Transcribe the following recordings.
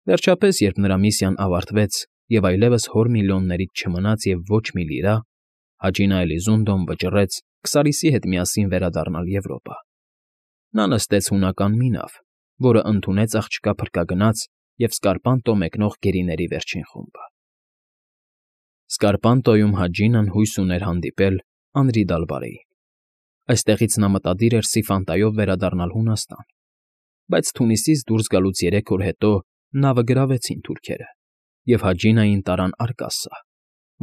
Վերջապես, երբ նրա միսիան ավարտվեց և այլևս հոր միլիոններից չմնաց և ոչ մի լիրա, Հաջինա Էլիզունդոն վճռեց Քսարիսի հետ միասին վերադառնալ Եվրոպա։ Նա նստեց հունական մի նավ, որը ընդունեց աղջկա փրկագնաց և Սկարպանտո մեկնող գերիների վերջին խումբը։ Սկարպանտոյում Հաջինան հույս ուներ հանդիպել Անրի Դալբարեին։ Այստեղից նա մտադիր էր Սիֆանտայով վերադառնալ Հունաստան, բայց Թունիսից դուրս գալուց 3 օր հետո նավը գրավեցին թուրքերը և Հաջինային տարան Արկասսա,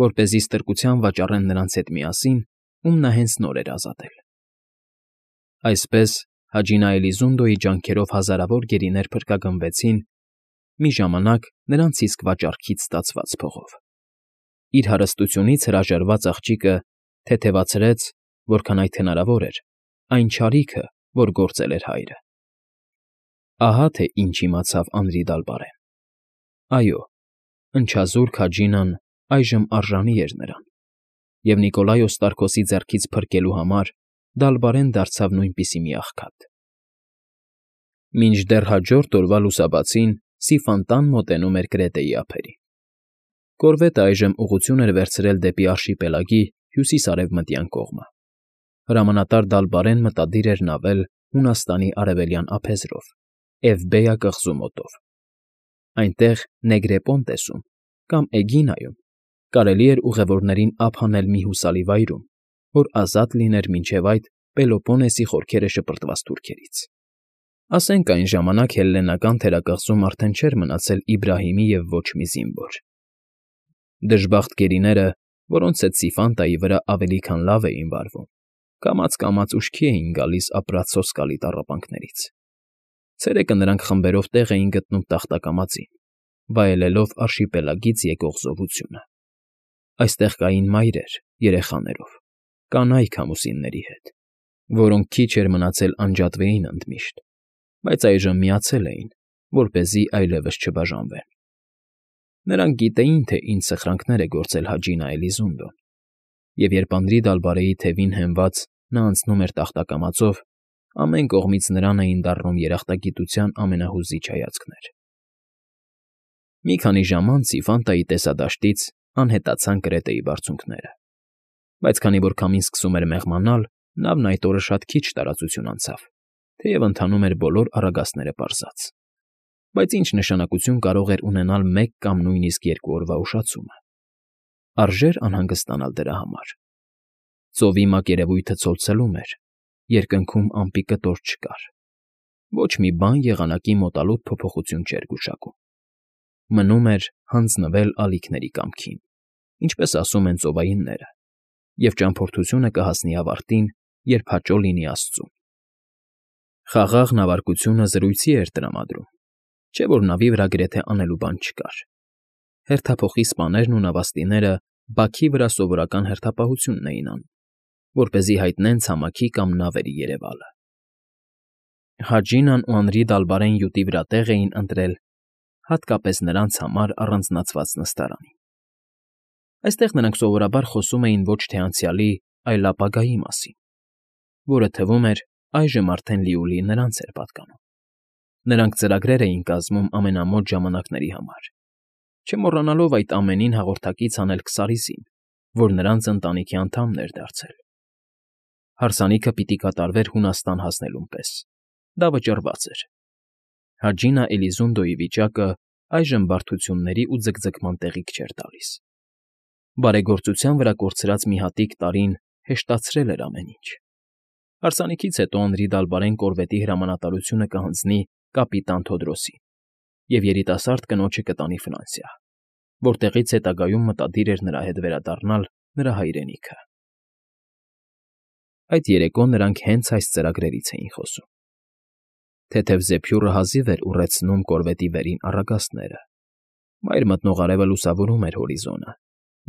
որպեսզի ստրկության վաճառեն նրանց հետ միասին, ում նա հենց նոր էր ազատել։ Այսպես Հաջինա Էլիզունդոյի ջանքերով հազարավոր գերիներ փրկագնվեցին, մի ժամանակ նրանց իսկ վաճառքից ստացված փողով։ Իր հարստությունից հրաժարված աղջիկը թեթևացրեց, որքան այդ հնարավոր էր, այն չարիքը, որ գործել էր հայրը։ Ահա թե ինչ իմացավ Անրի Դալբարեն։ Այո, ընչազուրկ Հաջինան այժմ արժանի էր նրան, և Նիկոլայոս Տարքոսի ձեռքից փրկելու համար Դալբարեն դարձավ նույնպիսի մի աղքատ։ Մինչդեռ հաջորդ օրվա լուսաբացին Սիֆանտան մոտենում էր Կրետեի ափերին։ Կորվետը այժմ ուղղություն էր վերցրել դեպի արշիպելագի հյուսիս֊արևմտյան կողմը։ Հրամանատար Դալբարեն մտադիր էր նավել Հունաստանի արևելյան ափեզրով, Էվբեյա կղզու մոտով։ Այնտեղ Նեգրեպոնտեսում կամ Էգինայում կարելի էր ուղևորներին ափ հանել մի հուսալի վայրում, որ ազատ լիներ մինչև այդ Պելոպոնեսի խորքերը շպրտված թուրքերից։ Ասենք այն ժամանակ հելլենական թերակղզում արդեն չէր մնացել Իբրահիմի և ոչ մի զինվոր։ Դժբախտ գերիները, որոնց հետ Սիֆանտայի վրա ավելի քան լավ էին վարվում, կամաց֊կամաց ուշքի էին գալիս ապրած սոսկալի տառապանքներից։ Ցերեկը նրանք խմբերով տեղ էին գտնում տախտակամածին, վայելելով արշիպելագից եկող զովությունը։ Այստեղ կային մայրեր երեխաներով, կանայք ամուսինների հետ, որոնք քիչ էր մնացել անջատվեին ընդմիշտ, բայց այժմ միացել էին, որպեսզի այլևս չբաժանվեն։ Նրանք գիտեին, թե ինչ սխրանքներ է գործել Հաջինա Էլիզունդոն, և երբ Անրի Դալբարեի թևին հենված նա անցնում էր տախտակամածով, ամեն կողմից նրան էին դառնում երախտագիտության ամենահուզիչ հայացքներ։ Մի քանի ժամ անց Սիֆանտայի տեսադաշտից անհետացան Կրետեի բարձունքները, բայց քանի որ քամին սկսում էր մեղմանալ, նավն այդ օրը շատ քիչ տարածություն անցավ, թեև ընթանում էր բոլոր առագաստները պարզած։ Բայց ինչ նշանակություն կարող էր ունենալ մեկ կամ նույնիսկ 2 օրվա ուշացումը։ Արժե՞ր անհանգստանալ դրա համար։ Ծովի մակերևույթը ցոլցելում էր, երկնքում ամպի կտոր չկար։ Ոչ մի բան եղանակի մոտալուտ փոփոխություն չէր գուշակում։ Մնում էր հանձնվել ալիքների կամքին, ինչպես ասում են ծովայինները, և ճամփորդությունը կհասնի ավարտին, երբ հաճո լինի աստծուն։ Խաղաղ նավարկությունը զրույցի էր տրամադրում, չէ՞ որ նավի վրա գրեթե անելու բան չկար։ Հերթափոխի սպաներն ու նավաստիները բաքի վրա սովորական հերթապահությունն էին անում, որպեսզի հայտնեն ցամաքի կամ նավերի երևալը։ Հաջինան ու Անրի Դալբարեն յուտի վրա տեղ էին ընտրել հատկապես նրանց համար առանձնացված նստարանին։ Այստեղ նրանք սովորաբար խոսում էին ոչ թե անցյալի, այլ ապագայի մասին, որը թվում էր այժմ արդեն լիուլի նրանց էր պատկանում։ Նրանք ծրագրեր էին կազմում ամենամոտ ժամանակների համար, չմոռանալով այդ ամենին հաղորդակից անել Քսարիսին, որ նրանց ընտանիքի անդամն էր դարձել։ Հարսանիքը պիտի կատարվեր Հունաստան հասնելուն պես։ Դա վճռված էր։ Հաջինա Էլիզունդոյի վիճակը այժմ բարդությունների ու ձգձգման տեղիք չէր տալիս։ Բարեգործության վրա կորցրած մի հատիկ տարին հեշտացրել էր ամեն ինչ։ Հարսանիքից հետո Անրի Դալբարեն կորվետի հրամանատարությունը կհանձնի կապիտան Թոդրոսին, և երիտասարդ կնոջը կտանի Ֆրանսիա, որտեղից հետագայում մտադիր էր նրա հետ վերադառնալ նրա հայրենիքը։ Այդ երեկո նրանք հենց այս ծրագրերից էին խոսում։ Թեթև զեփյուռը հազիվ էր ուռեցնում կորվետի վերին առագաստները։ Մայր մտնող արևը լուսավորում էր հորիզոնը,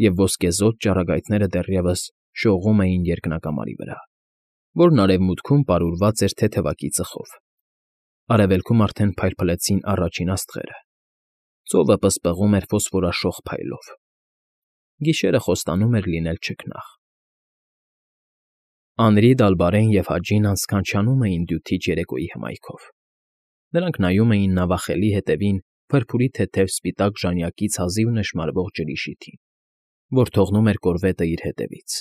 և ոսկեզօծ ճառագայթները դեռևս շողում էին երկնակամարի վրա, որն արևմուտքում պարուրված էր թեթևակի ծխով։ Արևելքում արդեն փայլփլեցին առաջին աստղերը։ Ծովը պսպղում էր ֆոսֆորաշող փայլով։ Գիշերը խոստանում էր լինել չքնաղ։ Անրի Դալբարեն և Հաջինան սքանչանում էին դյութիչ երեկոյի հմայքով։ Նրանք նայում էին նավախելի հետևին փրփուրի թեթև սպիտակ ժանյակից հազիվ նշմարվող ջրի շիթին, որ թողնում էր կորվետը իր հետևից։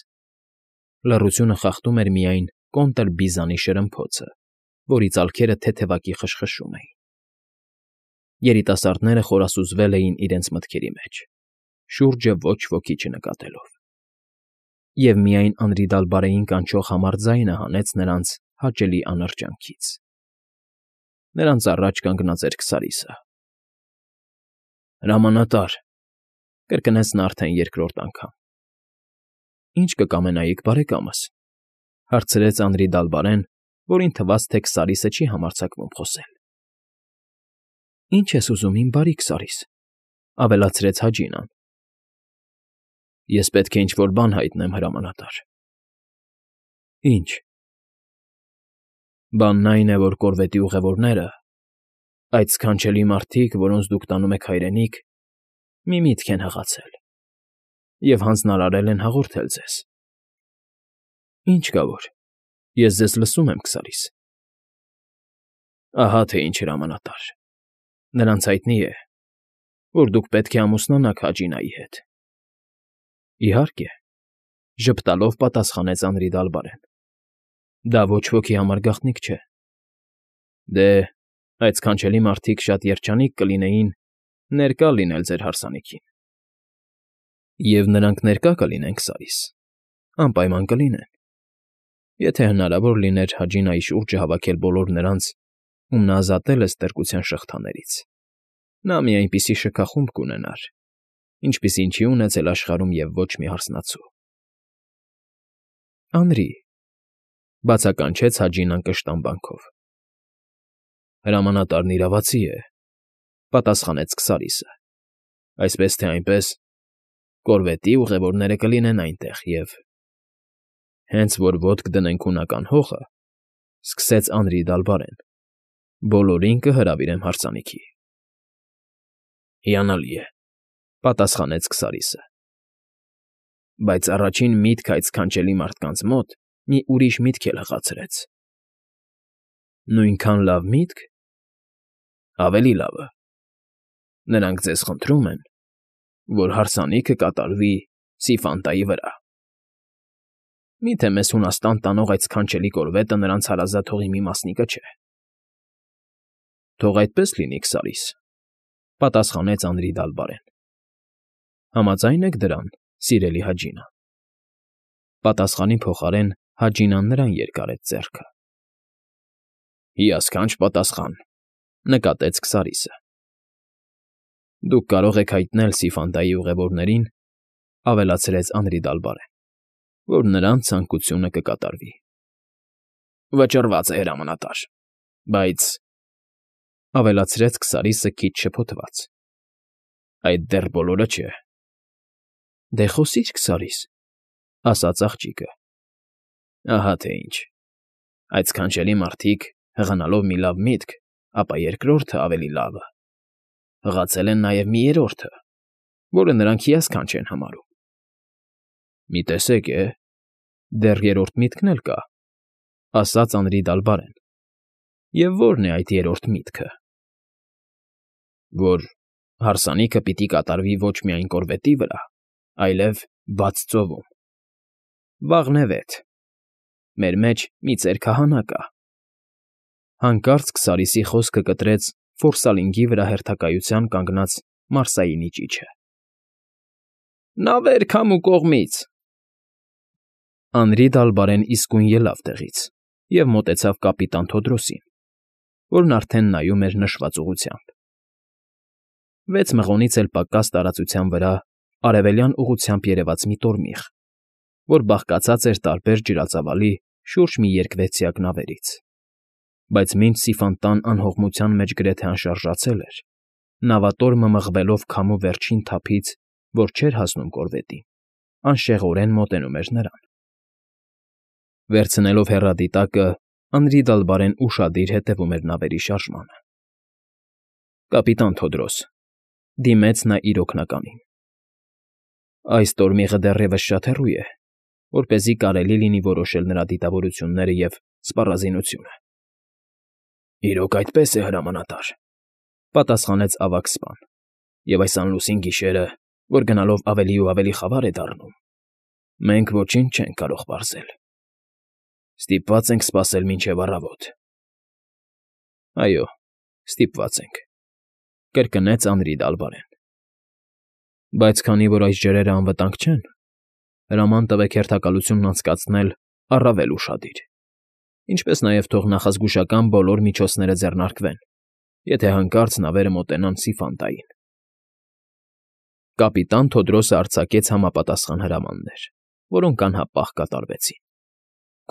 Լռությունը խախտում էր միայն կոնտր բիզանի շրմփոցը, որի ծալքերը թեթևակի խշխշում էին։ Երիտասարդները խորասուզվել էին իրենց մտքերի մեջ, շուրջը ոչ ոքի չնկատելով։ Եվ միայն Անրիդալբարեին կանչող համառ ձայնը հանեց նրանց հաճելի անրջանքից։ Նրանց առաջ կանգնած էր Քսարիսը։ «Հրամանատար,֊ կրկնեց նա արդեն երկրորդ անգամ։ ֊ Ի՞նչ կկամենայիք, բարեկամս,֊ հարցրեց Անրիդալբարեն, որին թվաց, թե Քսարիսը չի համարձակվում խոսել։ ֊ Ի՞նչ ես ուզում, իմ բարի Քսարիս,֊ ավելացրեց Հաջինան։ ֊ Ես պետք է ինչ֊որ բան հայտնեմ, հրամանատար։ ֊ Ի՞նչ։ ֊ Բանն այն է, որ կորվետի ուղևորները, այդ սքանչելի մարդիկ, որոնց դուք տանում եք հայրենիք, մի միտք են հղացել և հանձնարարել են հաղորդել ձեզ։ ֊ Ինչ կա որ, ես ձեզ լսում եմ, Քսարիս։ ֊ Ահա թե ինչ, հրամանատար. նրանց հայտնի է, որ դուք պետք է ամուսնանաք Հաջինայի հետ։ ֊ Իհարկե,֊ ժպտալով պատասխանեց Անրիդալբարեն։ Դա ոչ ոքի համար գաղտնիք չէ։ Դե, այդ սքանչելի մարդիկ շատ երջանիկ կլինեին ներկա լինել ձեր հարսանիքին։ Եվ նրանք ներկա կլինեն, Քսարիս, անպայման կլինեն, եթե հնարավոր լիներ Հաջինայի շուրջը հավաքել բոլոր նրանց, ում նա ազատել է ստրկության շղթաներից, նա մի այնպիսի շքախումբ կունենար, ինչպիսին չի ունեցել աշխարհում և ոչ մի հարսնացու։ ֊ Անրի,֊ բացականչեց Հաջինան կշտամբանքով։ ֊ Հրամանատարն իրավացի է,֊ պատասխանեց Քսարիսը։ Այսպես թե այնպես, կորվետի ուղևորները կլինեն այնտեղ և… Հենց որ ոտք դնենք հունական հողը,֊ սկսեց Անրիդալբարեն,֊ բոլորին կհրավիրեմ հարսանիքի։ ֊ Հիանալի է,֊ պատասխանեց Քսարիսը։ Բայց առաջին միտքը այդ սքանչելի մարդկանց մոտ մի ուրիշ միտք էլ հղացրեց։ ֊ Նույնքան լավ միտք… Ավելի լավը. նրանք ձեզ խնդրում են, որ հարսանիքը կատարվի Սիֆանտայի վրա։ Միթե մեզ Հունաստան տանող այդ սքանչելի կորվետը նրանց հարազատ հողի մի մասնիկը չէ։ ֊ Թող այդպես լինի, Քսարիս,֊ պատասխանեց Անրիդալբարեն։ ֊ Համաձայն եք դրան, սիրելի Հաջինա։ Պատասխանի փոխարեն Հաջինան նրան երկարեց ձեռքը։ ֊ Հիասքանչ պատասխան,֊ նկատեց Քսարիսը։ ֊ Դուք կարող եք հայտնել Սիֆանտայի ուղևորներին,֊ ավելացրեց Անրիդալբարեն,֊ որ նրանց ցանկությունը կկատարվի։ ֊ Վճռված է, հրամանատար, բայց,֊ ավելացրեց Քսարիսը քիչ շփոթված,֊ այդ դեռ բոլորը չէ։ ֊ Դե խոսի՛ր, Քսարիս,֊ ասաց աղջիկը։ ֊ Ահա թե ինչ. այդ սքանչելի մարդիկ, հղանալով մի լավ միտք, ապա երկրորդը ավելի լավը, հղացել են նաև մի երրորդը, որը նրանք հիասքանչ են համարում։ ֊ Մի տեսեք է, դեռ երրորդ միտքն էլ կա,֊ ասաց Անրիդալբարեն։ ֊ Եվ ո՞րն է այդ երրորդ միտքը։ ֊ Որ հարսանիքը պիտի կատարվի ոչ միայն կորվետի վրա, այլև բաց ծովում։ Վաղնևեթ, մեր մեջ մի ծեր քահանա կա։ Հանկարծ Քսարիսի խոսքը կտրեց Ֆորսալինգի վրա հերթակայության կանգնած Մարսայինի ճիչը։ ֊ Նավեր քամու կողմից… Անրիդալբարեն իսկույն ելավ տեղից և մոտեցավ կապիտան Թոդրոսին, որն արդեն նայում էր նշված ուղղությամբ։ 6 մղոնից էլ պակաս տարածության վրա արևելյան ուղղությամբ երևաց մի տորմիղ, որ բաղկացած էր տարբեր ջրածավալի շուրջ մի երկվեցյակ նավերից, բայց մինչ Սիֆանտան անհողմության մեջ գրեթե անշարժացել էր, նավատորմը մղվելով քամու վերջին թափից, որ չէր հասնում կորվետին, անշեղորեն մոտենում էր նրան։ Վերցնելով հեռադիտակը, Անրիդալբարեն ուշադիր հետևում էր նավերի շարժմանը։ ֊ Կապիտան Թոդրոս,֊ դիմեց նա իր օգնականին,֊ այս տորմիղը դեռևս շատ հեռու է, որպեսզի կարելի լինի որոշել նրա դիտավորությունները և սպառազինությունը։ ֊ Իրոք այդպես է, հրամանատար։ պատասխանեց ավագ սպան։ Եվ այս անլուսին գիշերը, որ գնալով ավելի ու ավելի խավար է դառնում, մենք ոչինչ չենք կարող պարզել։ Ստիպված ենք սպասել մինչև առավոտ։ Այո, ստիպված ենք, կրկնեց Անրի Դալբարեն։ Բայց քանի որ այս ջրերը անվտանգ չեն, հրաման տվեք հերթակալությունն անցկացնել առավել ուշադիր, ինչպես նաև թող նախազգուշական բոլոր միջոցները ձեռնարկվեն, եթե հանկարծ նավերը մոտենան Սիֆանտային։ Կապիտան Թոդրոսը արձակեց համապատասխան հրամաններ, որոնք անհապաղ կատարվեցին։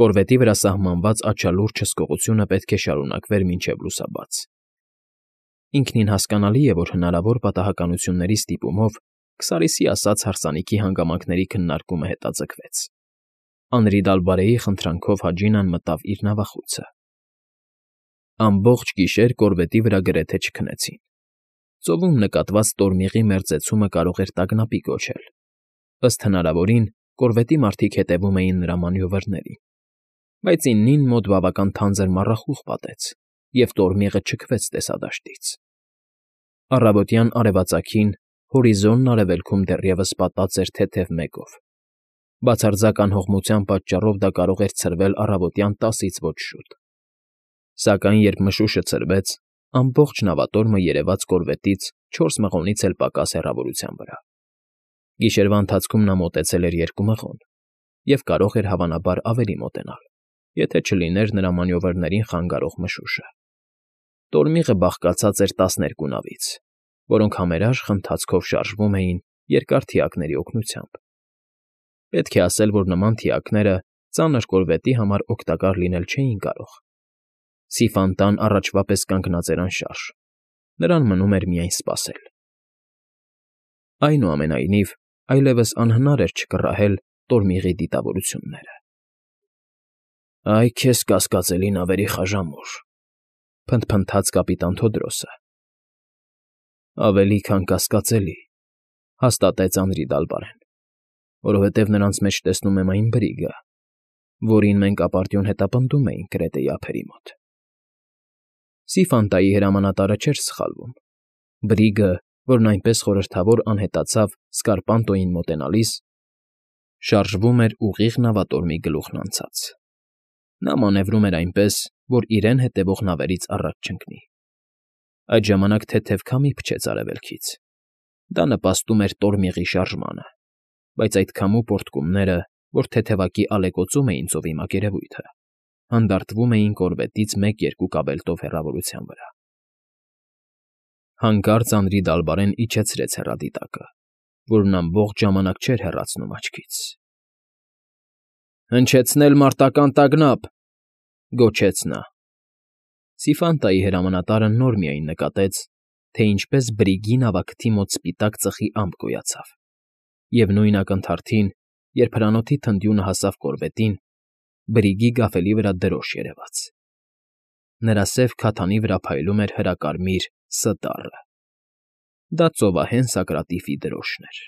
Կորվետի վրա սահմանված աչալուրջ հսկողությունը պետք է շարունակվեր մինչև լուսաբաց։ Ինքնին հասկանալի է, որ հնարավոր պատահականությունների ստիպումով Քսարիսի ասած հարսանիքի հանգամանքների քննարկումը հետաձգվեց։ Անրի Դալբարեի խնդրանքով Հաջինան մտավ իր նավախույցը։ Ամբողջ գիշեր կորվետի վրա գրեթե չքնեցին։ Ծովում նկատված տորմիղի մերձեցումը կարող էր տագնապի կոչել։ Ըստ հնարավորին, կորվետի մարդիկ հետևում էին նրա մանյովերներին, բայց իննին մոտ բավական թանձր մառախուղ պատեց, և տորմիղը չքվեց տեսադաշտից։ Առավոտյան արևածագին հորիզոնն արևելքում դեռևս պատած էր թեթև մեկով։ Բացարձակ անհողմության պատճառով դա կարող էր ցրվել առավոտյան 10-ից ոչ շուտ։ Սակայն երբ մշուշը ցրվեց, ամբողջ նավատորմը երևաց կորվետից 4 մղոնից էլ պակաս հեռավորության վրա։ Գիշերվա ընթացքում նա մոտեցել էր 2 մղոն և կարող էր հավանաբար ավելի մոտենալ, եթե չլիներ նրա մանյովերներին խանգարող մշուշը։ Տորմիղը բաղկացած էր 12 նավից, որոնք համերաշխ ընթացքով շարժվում էին երկար թիակների օգնությամբ։ Պետք է ասել, որ նման թիակները ծանր կորվետի համար օգտակար լինել չէին կարող։ Սիֆանտան առաջվա պես կանգնած էր անշարժ, նրան մնում էր միայն սպասել։ Այնուամենայնիվ, այլևս անհնար էր չկռահել տորմիղի դիտավորությունները։ «Այ քեզ կասկածելի նավերի խաժամուր», փնթփնթաց կապիտան Թոդրոսը։ «Ավելի քան կասկածելի», հաստատեց Անրի Դալբարեն, որովհետև նրանց մեջ տեսնում եմ այն բրիգը, որին մենք ապարդյուն հետապնդում էինք Կրետեի ափերի մոտ։ Սիֆանտայի հրամանատարը չէր սխալվում։ Բրիգը, որն այնպես խորհրդավոր անհետացավ Սկարպանտոյին մոտենալիս, շարժվում էր ուղիղ նավատորմի գլուխն անցած։ Նա մանևրում էր այնպես, որ իրեն հետևող նավերից առաջ չընկնի։ Այդ ժամանակ թեթև քամի փչեց արևելքից։ Դա նպաստում էր տորմիղի շարժմանը, բայց այդ քամու պոռթկումները, որ թեթևակի ալեկոծում էին ծովի մակերևույթը, հանդարտվում էին կորվետից 1-2 կաբելտով հեռավորության վրա։ Հանկարծ Անրի Դալբարեն իջեցրեց հեռադիտակը, որն ամբողջ ժամանակ չէր հեռացնում աչքից։ «Հնչեցնել մարտական տագնապ», գոչեց նա։ Սիֆանտայի հրամանատարը նոր միայն նկատեց, թե ինչպես բրիգի նավակթի մոտ սպիտակ ծխի ամպ գոյացավ, և նույն ակնթարթին, երբ հրանոթի թնդյունը հասավ կորվետին, բրիգի գավելի վրա դրոշ երևաց։ Նրա սև քաթանի վրա փայլում էր հրակարմիր Ս տառը։ Դա ծովահեն Սակրատիֆի դրոշն էր։